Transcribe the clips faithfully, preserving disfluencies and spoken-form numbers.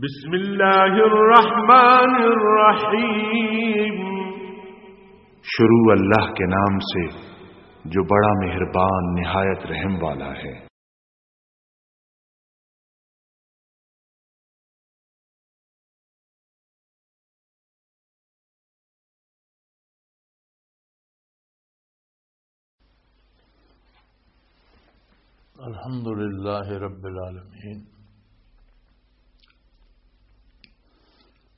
بسم اللہ الرحمن الرحیم۔ شروع اللہ کے نام سے، جو بڑا مہربان، نہایت رحم والا ہے۔ الحمد لله رب العالمين،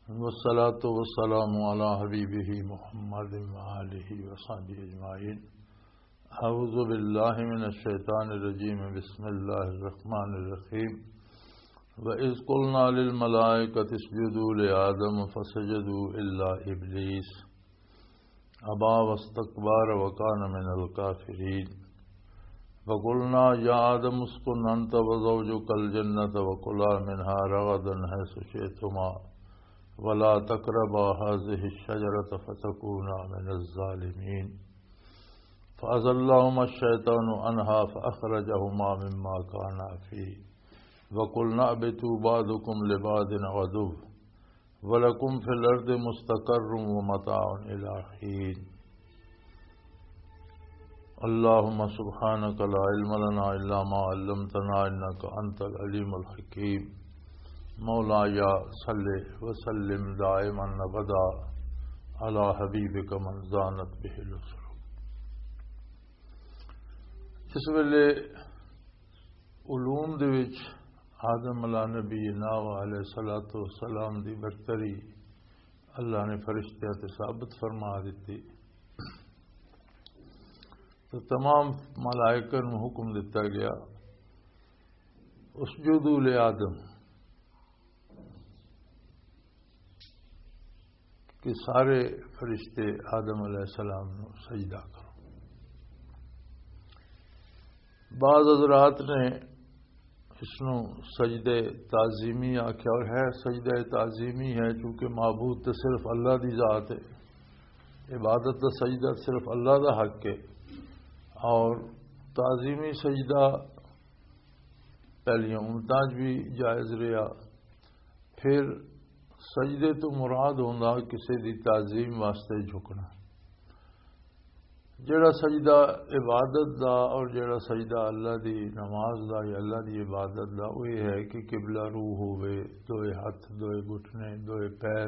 والصلاة والسلام على حبيبه محمد وآله وصحبه أجمعين. أعوذ بالله من الشيطان الرجيم. بسم الله الرحمن الرحيم. وإذ قلنا للملائكة اسجدوا لآدم فسجدوا إلا إبليس أبى واستكبر وكان من الكافرين. وقلنا يا آدم اسكن أنت وزوجك الجنة وكلا منها رغدا حيث شئتما ولا تقربا هذه الشجرة فتكونا من الظالمين. فأزلهما الشيطان عنها فأخرجهما مما كانا فيه وقلنا اهبطوا بعضكم لبعض عدو ولكم في الأرض مستقر ومتاع إلى حين. اللهم سبحانك لا علم لنا إلا ما علمتنا إنك أنت العليم الحكيم. مولاي صل وسلم دائما أبدا على حبيبك من زانت به الأسر. جس ویلے علوم دے وچ آدم علیہ نبینا و علیہ الصلوۃ والسلام دی برتری اللہ نے فرشتیاں تے ثابت فرما دتی، تو تمام ملائکہ نوں حکم دتا گیا، اسجدوا لآدم، کہ سارے فرشتے آدم علیہ السلام نوں سجدہ کرو۔ بعض حضرات نے اس نوں سجدہ تعظیمی آکھیا، اور ہے سجدہ تعظیمی ہے، چونکہ معبود تو صرف اللہ دی ذات ہے، عبادت دا سجدہ صرف اللہ دا حق ہے، اور تعظیمی سجدہ پہلیاں امتاں 'چ بھی جائز رہیا۔ پھر سجدے تو مراد ہوندا کسے دی تعظیم واسطے جھکنا۔ جڑا سجدہ عبادت دا اور جڑا سجدہ اللہ دی نماز دا یا اللہ دی عبادت دا، وہ یہ ہے کہ قبلہ روح ہوئے، دوئے ہاتھ، دوئے گھٹنے، دوئے پیر،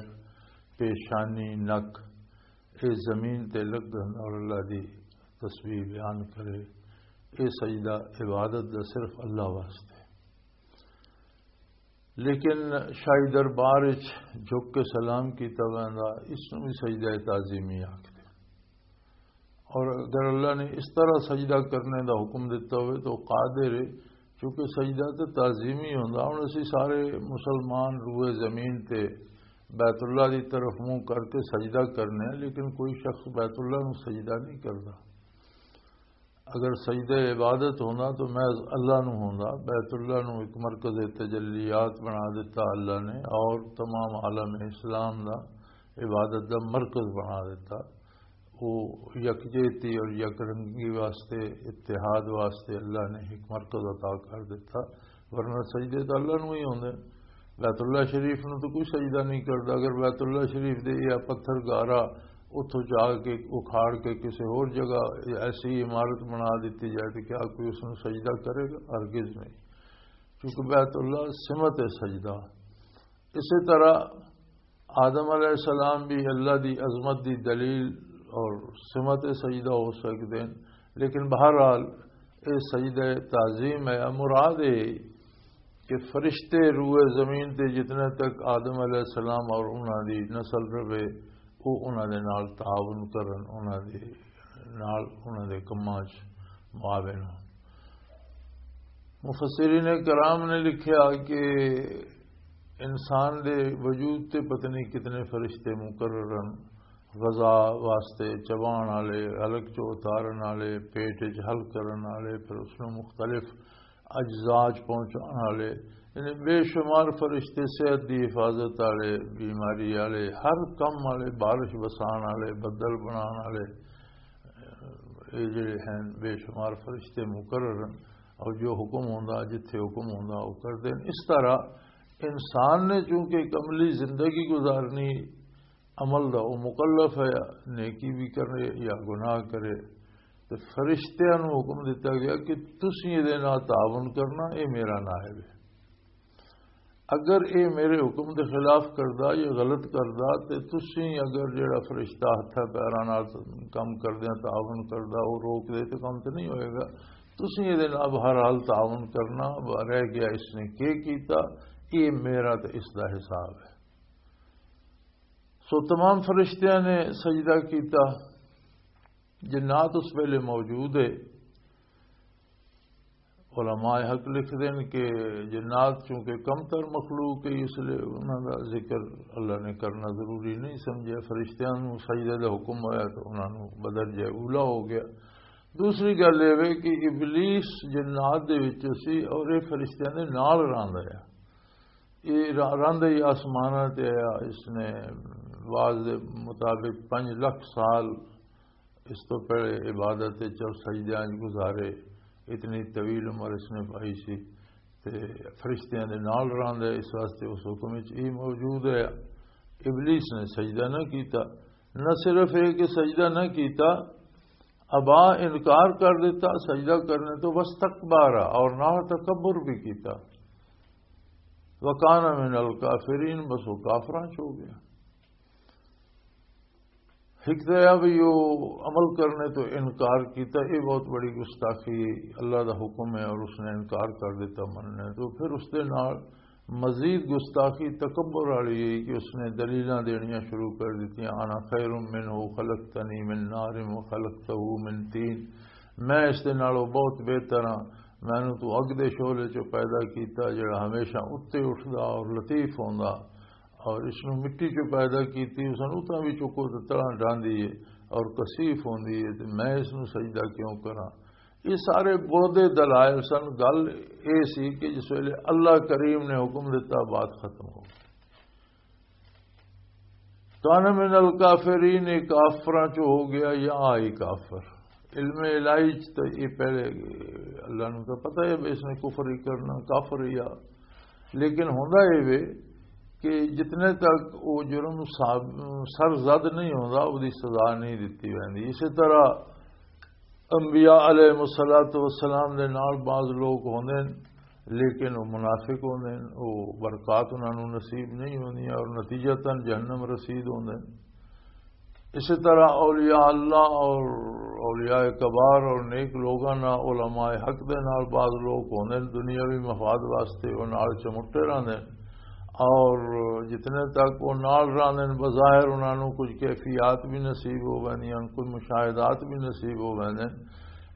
پیشانی، نک، اے زمین تے لگن اور اللہ دی تسبیح بیان کرے۔ اے سجدہ عبادت دا صرف اللہ واسطے۔ لیکن شاہی دربار وچ جھک کے سلام کیتا ویندا، اس نوں بھی سجدہ تعظیمی آکھدے۔ اور اگر اللہ نے اس طرح سجدہ کرنے دا حکم دیتا ہوئے تو قادر ہے، چونکہ سجدہ تے تعظیمی ہوندا۔ ہن اسی سارے مسلمان روئے زمین تے بیت اللہ دی طرف منہ کر کے سجدہ کرنے ہیں، لیکن کوئی شخص بیت اللہ نوں سجدہ نہیں کردا۔ اگر سجدہ عبادت ہوندا تو محض اللہ نوں ہوندا۔ بیت اللہ نوں ایک مرکز تجلیات بنا دیتا اللہ نے، اور تمام عالم اسلام دا عبادت دا مرکز بنا دیتا۔ وہ یکجہتی اور یک رنگی واسطے، اتحاد واسطے اللہ نے ایک مرکز عطا کر دیتا، ورنہ سجدے تو اللہ نوں ہی ہوندے۔ بیت اللہ شریف نوں تو کوئی سجدہ نہیں کردا۔ اگر بیت اللہ شریف دے یا پتھر گارا اتھوں جا کے اکھاڑ کے کسی ہور جگہ ایسی عمارت بنا دیتی جائے تو کیا کوئی اس نوں سجدہ کرے گا؟ ہرگز نہیں، کیونکہ بیت اللہ سمت ہے سجدہ۔ اسی طرح آدم علیہ السلام بھی اللہ دی عظمت دی دلیل اور سمت سجدہ ہو سکتے ہیں، لیکن بہرحال اے سجدہ تعظیم ہے۔ مراد اے کہ فرشتے روئے زمین تے جتنے تک آدم علیہ السلام اور انہاں دی نسل رہے، وہ انہاں دے نال تعاون کرن، انہاں دے نال، انہاں دے کماں 'چ معاون ہون۔ مفسرین کرام نے لکھیا کہ انسان دے وجود تے پتہ نہیں کتنے فرشتے مقرر ہیں، غذا واسطے چبان والے، حلق چ اتارن والے، پیٹ وچ حل کرن والے، پھر اس نوں مختلف اجزاء چ پہنچان والے، یعنی بے شمار فرشتے، صحت دی حفاظت والے، بیماری والے، ہر کم والے، بارش وسان والے، بدل بنان والے، یہ جڑے ہیں بے شمار فرشتے مقرر ہیں، اور جو حکم ہوندا، جتھے حکم ہوندا، وہ کردے ہیں۔ اس طرح انسان نے چونکہ ایک عملی زندگی گزارنی، عمل دا وہ مکلف ہے، نیکی بھی کرے یا گناہ کرے، تے فرشتیاں نوں حکم دتا گیا کہ تسی اے دے نال تعاون کرنا، اے میرا نائب ہے۔ اگر اے میرے حکم دے خلاف کردا یا غلط کردا، تے تسی اگر جڑا فرشتہ ہتھاں پیراں نال کم کردیاں تعاون کردا، وہ روک دے، تے کم تے نہیں ہوئے گا۔ تسی اے دے نال بہرحال تعاون کرنا۔ رہ گیا اس نے کی کیتا، اے میرا تے اس دا حساب ہے۔ سو تمام فرشتیاں نے سجدہ کیتا۔ جنات اس ویلے موجود ہے۔ علماء حق لکھ دین کہ جنات چونکہ کم تر مخلوق ہے، اس لیے انہاں دا ذکر اللہ نے کرنا ضروری نہیں سمجھا۔ فرشتیاں نوں سجدے دا حکم ہویا تو انہاں نوں بدرجہ اولا ہو گیا۔ دوسری گل یہ وے کہ ابلیس جنات دے وچ سی اور یہ فرشتیاں دے نال رہندا ہے۔ یہ را-، رہندا ہی آسماناں تے آیا۔ اس نے بعض دے مطابق پنج لکھ سال اس تو پہلے عبادت وچ اور سجدیاں وچ گزارے۔ اتنی طویل عمر اس نے پائی سی۔ تے فرشتیاں دے نال رہندا ہے، اس واسطے اس حکم وچ یہ موجود ہے۔ ابلیس نے سجدہ نہ کیتا۔ نہ صرف یہ کہ سجدہ نہ کیتا، ابا، انکار کر دیتا سجدہ کرنے تو، واستکبر، اور نہ تکبر بھی کیتا۔ وکان من الکافرین، بس وہ کافراں چ ہو گیا۔ ایک تو یہ بھی وہ عمل کرنے تو انکار کیتا، یہ بہت بڑی گستاخی۔ اللہ دا حکم ہے اور اس نے انکار کر دیتا مننے تو، پھر اس دے نال مزید گستاخی تکبر والی ہے کہ اس نے دلیلاں دینیاں شروع کر دتیاں، انا خیر منہ خلقتنی من نار و خلقتہ من طین، میں اس دے نالوں بہت بہتر ہاں، مینوں تو اگ دے شعلے چوں پیدا کیتا جڑا ہمیشہ اتے اٹھدا اور لطیف ہوندا، اور اس نوں مٹی چوں پیدا کیتی، اس نوں اتنا بھی چکو تے تڑاں ڈاندی ہے اور کثیف ہوندی ہے، تے میں اس نوں سجدہ کیوں کراں؟ یہ سارے بردے دلائل سن۔ گل یہ سی کہ جس ویلے اللہ کریم نے حکم دیتا، بات ختم ہو گئی۔ کان من الکافرین، یہ کافراں چ ہو گیا یا آئی کافر۔ علم الہی چ تو یہ پہلے اللہ نوں تو پتہ ہے بھی اس نے کفر ہی کرنا، کافر ہی آ۔ لیکن ہوندا یہ وے کہ جتنے تک وہ جرم صاب-، سر زد نہیں ہوندا، وہ دی سزا نہیں دتی ویندی۔ اسی طرح انبیاء علیہ الصلوۃ والسلام دے نال بعض لوگ ہوندے نے، لیکن وہ منافق ہوندے نے، وہ برکات انہاں نوں نصیب نہیں ہوندی اور نتیجتاً جہنم رسید ہوندے نے۔ اسی طرح اولیاء اللہ اور اولیاء کبار اور نیک لوگاں نال، علماء حق دے نال بعض لوگ ہوندے نے دنیاوی مفاد واسطے، وہ نال چمٹے رہندے نے۔ اور جتنے تک وہ نال رہندے نے، بظاہر انہاں نوں کچھ کیفیات بھی نصیب ہو ویندیاں، کچھ مشاہدات بھی نصیب ہو ویندے نے،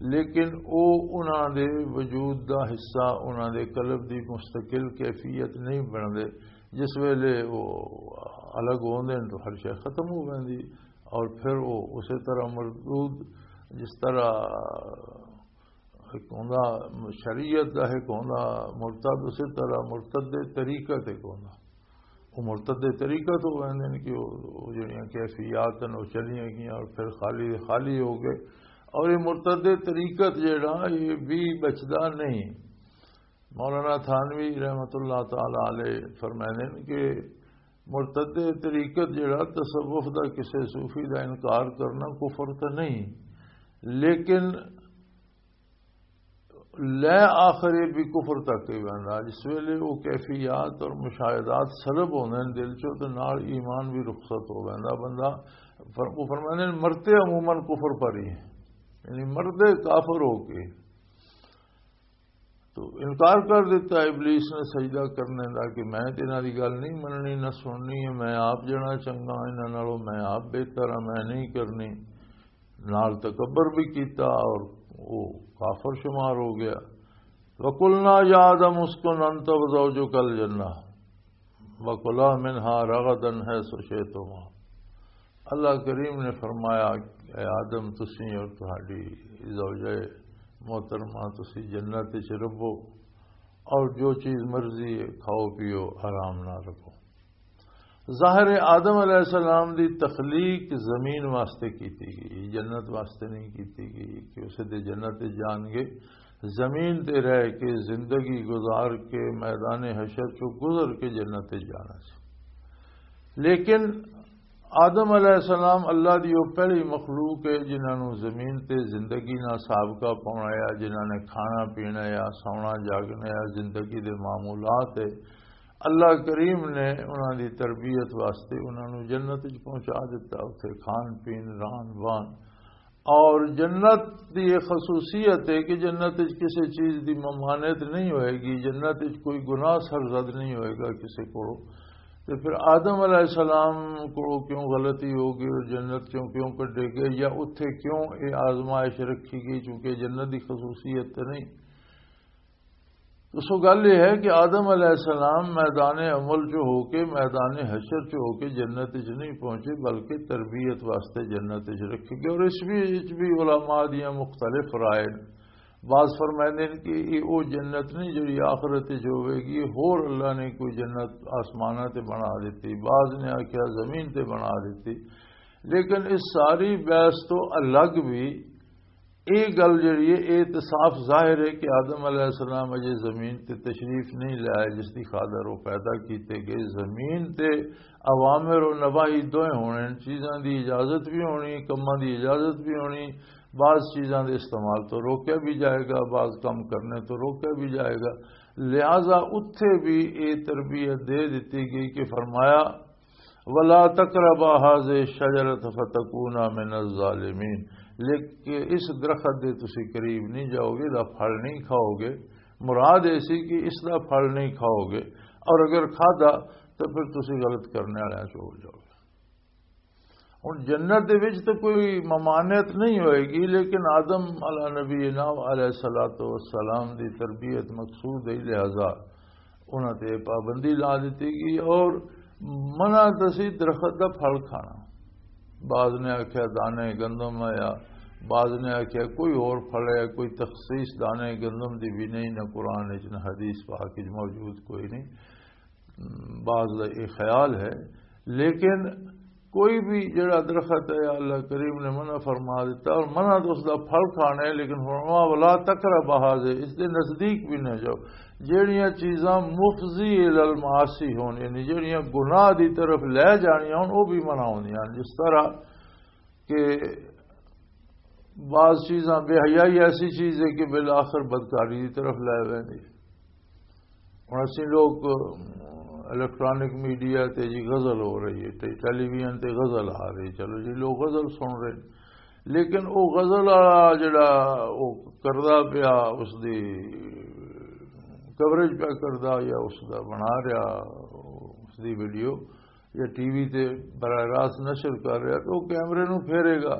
لیکن وہ انہاں دے وجود دا حصہ، انہاں دے قلب دی مستقل کیفیت نہیں بندے۔ جس ویلے وہ الگ ہوندے نے تو ہر شے ختم ہو ویندی، اور پھر وہ اسی طرح مردود، جس طرح ایک ہوندا شریعت دا، ایک ہوندا مرتد، اسی طرح مرتد دے طریقت ایک ہوندا۔ وہ مرتد دے طریقت ہو ویندے نے کہ وہ، وہ جڑیاں کیفیات ہیں، وہ چلیاں گئیاں اور پھر خالی دے خالی ہو گئے۔ اور یہ مرتد دے طریقت جڑا، یہ بھی بچدا نہیں۔ مولانا تھانوی رحمت اللہ تعالی علیہ فرمائے نے کہ مرتد طریقت جڑا تصوف دا، کسے صوفی دا انکار کرنا کفر تے نہیں، لیکن لے آخر یہ بھی کفر تک ہی ویندا۔ جس ویلے وہ کیفیات اور مشاہدات سلب ہوندے نے دل چوں، تے نال ایمان بھی رخصت ہو ویندا۔ بندہ فر-، وہ فرماندے نے، مرتے عموماً کفر پر ہی ہیں، یعنی مردے کافر ہو کے۔ تو انکار کر دیتا ابلیس نے سجدہ کرنے دا کہ میں تے انہاں دی گل نہیں مننی، نہ سننی ہے، میں آپ جنا چنگا، انہاں نالوں میں آپ بہتر ہاں، میں نہیں کرنی۔ نال تکبر بھی کیتا اور وہ کافر شمار ہو گیا۔ وَقُلْنَا يَا آدَمُ اسْكُنْ أَنْتَ وَزَوْجُكَ الْجَنَّةَ وَكُلَا مِنْهَا رَغَدًا حَيْثُ شِئْتُمَا۔ اللہ کریم نے فرمایا، اے آدم، تسی اور تہاڈی زوجہ محترمہ، تسی جنت وچ رہو اور جو چیز مرضی ہے کھاؤ پیو، آرام نال رہو۔ ظاہر ہے آدم علیہ السلام دی تخلیق زمین واسطے کیتی گئی، جنت واسطے نہیں کیتی گئی کہ اسے دے جنت وچ جان گے۔ زمین تے رہ کے، زندگی گزار کے، میدان حشر چوں گزر کے جنت وچ جانا سی۔ لیکن آدم علیہ السلام اللہ دی وہ پہلی مخلوق ہے جنہاں نوں زمین تے زندگی نال سابقہ پاؤنا ہے، جنہاں نے کھانا پینا ہے، سونا جاگنا ہے، زندگی دے معمولات ہے۔ اللہ کریم نے انہاں دی تربیت واسطے انہاں نوں جنت وچ پہنچا دتا، اتھے کھان پین، ران وان۔ اور جنت دی یہ خصوصیت ہے کہ جنت وچ کسی چیز دی ممانعت نہیں ہوئے گی، جنت وچ کوئی گناہ سرزد نہیں ہوئے گا کسی کو۔ تے پھر آدم علیہ السلام کو کیوں غلطی ہو گئی اور جنت چوں کیوں کڈے گئے، یا اتھے کیوں یہ آزمائش رکھی گئی؟ چونکہ جنت دی خصوصیت تے نہیں۔ تو سو گل یہ ہے کہ آدم علیہ السلام میدان عمل چ ہو کے، میدان حشر چ ہو کے جنت وچ نہیں پہنچے، بلکہ تربیت واسطے جنت وچ رکھے گئے۔ اور اس بھی، اس بھی علماء دیاں مختلف رائے نے۔ بعض فرمائندے نے کہ یہ وہ جنت نہیں جڑی آخرت وچ ہوے گی، ہور اللہ نے کوئی جنت آسماناں تے بنا دتی، بعض نے آکھیا زمین تے بنا دتی۔ لیکن اس ساری بحث تو الگ بھی یہ گل جڑی ہے، یہ تے صاف ظاہر ہے کہ آدم علیہ السلام اجے زمین تے تشریف نہیں لائے، جس دی خاطر وہ پیدا کیتے گئے۔ زمین تے اوامر و نواہی دوئے ہونے ہیں، چیزاں دی اجازت بھی ہونی، کماں دی اجازت بھی ہونی، بعض چیزاں دے استعمال تو روکیا بھی جائے گا، بعض کم کرنے تو روکیا بھی جائے گا۔ لہذا اتھے بھی یہ تربیت دے دیتی گئی کہ فرمایا، ولا تقربا هذه الشجرة فتكونا من الظالمين، لیکن اس درخت دے تسی قریب نہیں جاؤ گے، دا پھل نہیں کھاؤ گے۔ مراد ایسی کہ اس دا پھل نہیں کھاؤ گے، اور اگر کھادا تو پھر تسی غلط کرنے والے چ ہو جاؤ گے۔ ہن جنت دے وچ تو کوئی ممانعت نہیں ہوئے گی، لیکن آدم علی نبینا علیہ الصلوۃ والسلام دی تربیت مقصود ہے، لہذا انہاں تے پابندی لا دتی گئی اور منع دسی درخت دا پھل کھانا۔ بعض نے آکھیا دانے گندم ہے، یا بعض نے آکھیا کوئی اور پھل ہے، کوئی تخصیص دانے گندم دی بھی نہیں، نہ قرآن وچ نہ حدیث پاک وچ موجود کوئی نہیں۔ بعض دا یہ خیال ہے، لیکن کوئی بھی جڑا درخت ہے، اللہ کریم نے منع فرما دیتا اور منع تو اس دا پھل کھانا ہے، لیکن فرمایا، "ولا تقربا هذه"، اس دے نزدیک بھی نہ جاؤ۔ جڑیاں چیزاں مفضی الی المعاصی ہون، یعنی جڑیاں گناہ دی طرف لے جانیاں ہون، وہ بھی منع ہوندیاں ہن۔ جس طرح کہ بعض چیزاں، بے حیائی ایسی چیز ہے کہ بالآخر بدکاری دی طرف لے ویندی۔ ہن اسی لوگ الیکٹرانک میڈیا تے جی غزل ہو رہی ہے، تے ٹیلی ویژن تے غزل آ رہی، چلو جی لوگ غزل سن رہے، لیکن او غزل والا جڑا او کردا پیا، اس دی کوریج پیا کردا یا اس دا بنا رہا، اس دی ویڈیو یا ٹی وی تے براہ راست نشر کر رہا، تو او کیمرے نوں پھیرے گا۔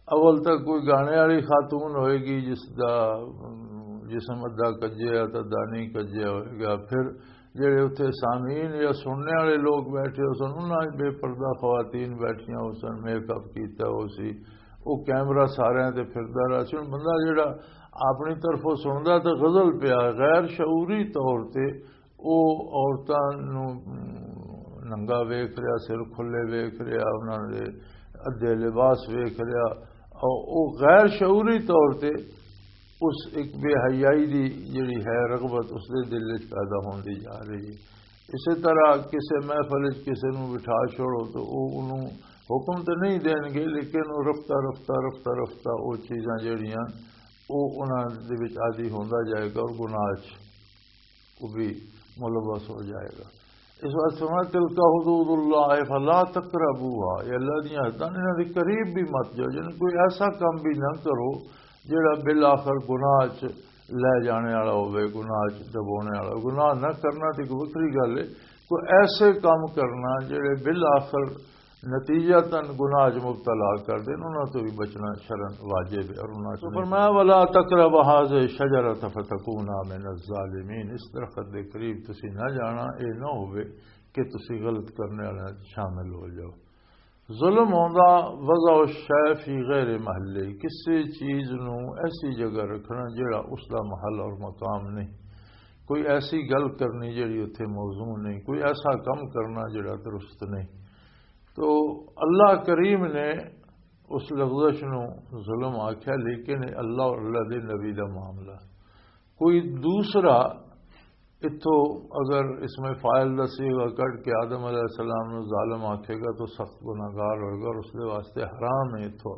اول تک کوئی گانے والی خاتون ہوئے گی جس دا، ام، جسم ادا کجیا تے ادا نہیں کجیا ہوئے گا۔ پھر جڑے اتھے سامعین یا سننے والے لوگ بیٹھے ہو سن، انہاں وچ بے پردہ خواتین بیٹھیاں ہو سن، میک اپ کیتا ہو سی، وہ کیمرہ سارے تے پھردا رہا سی۔ ہن بندہ جڑا اپنی طرفوں سندا تے غزل پیا، غیر شعوری طور تے او عورتاں نوں ننگا ویکھ رہیا، سر کھلے ویکھ رہیا، انہاں دے ادھے لباس ویکھ رہیا۔ او، او غیر شعوری طور تے اس ایک بے حیائی دی جڑی ہے رغبت اس دے دل وچ پیدا ہوندی جا رہی ہے۔ اسی طرح کسے محفل وچ کسے نوں بٹھا چھوڑو تو او انہوں حکم تے نہیں دین گے، لیکن او رفتہ رفتہ، رفتہ رفتہ او چیزاں جڑیاں او انہاں دے وچ عادی ہوندا جائے گا اور گناہ چ وہ بھی ملوث ہو جائے گا۔ اس واسطے فرمایا، "تلک حدود اللہ فلا تقربوها"، یہ اللہ دیاں حداں نے، انہاں دے قریب بھی مت جاؤ، یعنی کوئی ایسا کام بھی نہ کرو جڑا بالآخر گناہ چ لے جانے والا ہوے، گناہ چ دبونے والا۔ گناہ نہ کرنا تے ایک وکھری گل ہے، کوئی ایسے کام کرنا جڑے بالآخر نتیجتاً گناہ چ مبتلا کر دین، انہاں تو بھی بچنا شرعاً واجب ہے اور انہاں چ تو نہیں فرمایا، "ولا تقرب هذه الشجرة فتكونا من الظالمين"، اس درخت دے قریب تسی نہ جانا، اے نہ ہوے کہ تسی غلط کرنے والے شامل ہو جاؤ۔ ظلم ہوندا وضع الشیء فی غیر محلہ، کسی چیز نو ایسی جگہ رکھنا جڑا اس دا محل اور مقام نہیں، کوئی ایسی گل کرنی جڑی اتھے موزوں نہیں، کوئی ایسا کم کرنا جڑا درست نہیں۔ تو اللہ کریم نے اس لغزش نو ظلم آکھیا، لیکن یہ اللہ اور اللہ دے نبی دا معاملہ۔ کوئی دوسرا اتھوں اگر اس میں فاعل دا صیغہ کٹ کے آدم علیہ السلام نو ظالم آکھے گا تو سخت گناہگار ہوئے گا، اور اس دے واسطے حرام ہے اتھوں،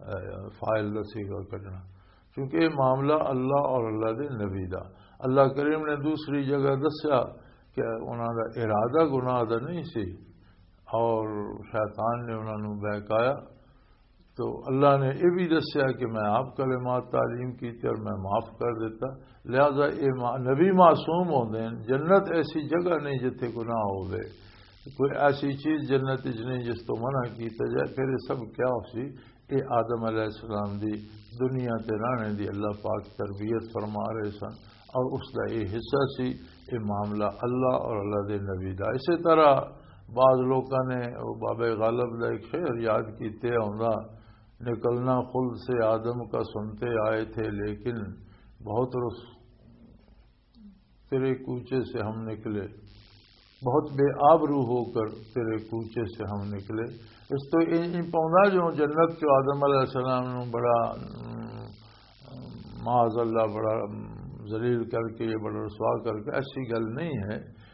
اے، فاعل دا صیغہ کڈنا، کیونکہ یہ معاملہ اللہ اور اللہ دے نبی دا۔ اللہ کریم نے دوسری جگہ دسیا کہ انہاں دا ارادہ گناہ دا نہیں سی، اور شیطان نے انہاں نوں بہکایا۔ تو اللہ نے یہ بھی دسیا کہ میں آپ کلمات تعلیم کیتے اور میں معاف کر دیتا۔ لہذا یہ ما-، نبی معصوم ہوندے ہیں، جنت ایسی جگہ نہیں جتھے گناہ ہوے، کوئی ایسی چیز جنت وچ نہیں جس تو منع کیتا جائے۔ پھر یہ سب کیا ہو سی؟ یہ آدم علیہ السلام دی دنیا تے رہنے دی اللہ پاک تربیت فرما رہے سن، اور اس دا یہ حصہ سی، یہ معاملہ اللہ اور اللہ دے نبی دا۔ اسی طرح بعض لوکاں نے، وہ بابے غالب دا ایک شعر یاد کیتے ہوندا، نکلنا خلد سے آدم کا سنتے آئے تھے، لیکن بہت رس تیرے کوچے سے ہم نکلے، بہت بے آبرو ہو کر تیرے کوچے سے ہم نکلے۔ اس تو یہ نہیں پاؤندا جو جنت چ آدم علیہ السلام نو بڑا، ام، معاذ اللہ، بڑا، ام، ذلیل کر کے، یہ بڑا رسوا کر کے، ایسی گل نہیں ہے۔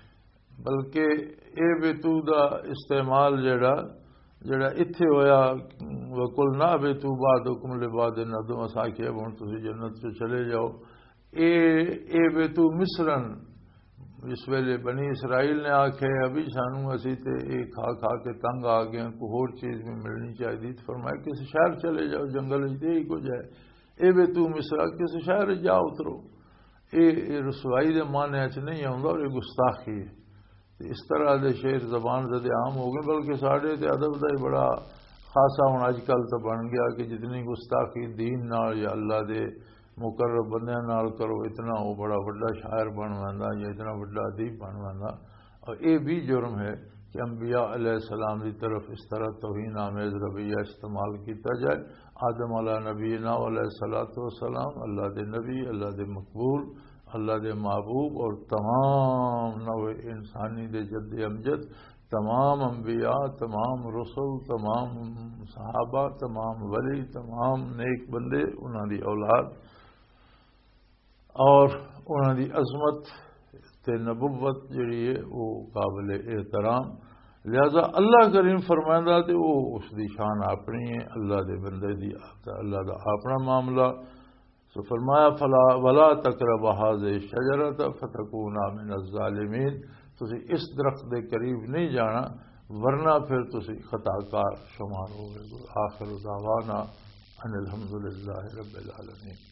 بلکہ اے بے تو دا استعمال جڑا، جڑا اتھے ہویا، "وَقُلْنَا اهْبِطُوا بَعْضُكُمْ لِبَعْضٍ عَدُوٌّ"، اساں آکھیا، "ہن تسی جنت چوں چلے جاؤ۔" اے، اے بے تو مصرن، اس ویلے بنی اسرائیل نے آکھیا، "ابھی سانو، اسی تے اے کھا کھا کے تنگ آ گئے ہیں، کوئی ہور چیز بھی ملنی چاہیے۔" تو فرمایا، "کسی شہر چلے جاؤ، جنگل وچ تے ہی کچھ ہے۔ اے بے تو مصر، کسی شہر وچ جا اترو۔" اے، اے رسوائی دے معنی وچ نہیں آوندا، اور اے گستاخی ہے۔ تے اس طرح دے شعر زبان زد عام ہو گئے، بلکہ ساڈے تے ادب دا ہی بڑا خاصا ہن اج کل تے بن گیا کہ جتنی گستاخی دین نال یا اللہ دے مقرب بندیاں نال کرو، اتنا وہ بڑا وڈا شاعر بن ویندا یا اتنا وڈا ادیب بن ویندا۔ اور یہ بھی جرم ہے کہ انبیاء علیہ السلام دی طرف اس طرح توہین آمیز رویہ استعمال کیتا جائے۔ آدم علیہ نبینا علیہ الصلوۃ والسلام اللہ دے نبی، اللہ دے مقبول، اللہ دے محبوب اور تمام نوع انسانی دے جد امجد، تمام انبیاء، تمام رسل، تمام صحابہ، تمام ولی، تمام نیک بندے، انہاں دی اولاد اور انہاں دی عظمت تے نبوت جڑی ہے، وہ قابل احترام۔ لہذا اللہ کریم فرمائندا تے وہ اس دی شان اپنی ہے، اللہ دے بندے دی، اللہ دا اپنا معاملہ۔ سو فرمایا، "فلا، ولا تقربا هذه الشجرة فتكونا من الظالمين"، تسی اس درخت دے قریب نہیں جانا، ورنہ پھر تسی خطا کار شمار ہوئے گے۔ آخر دعوانا ان الحمد للہ رب العالمین۔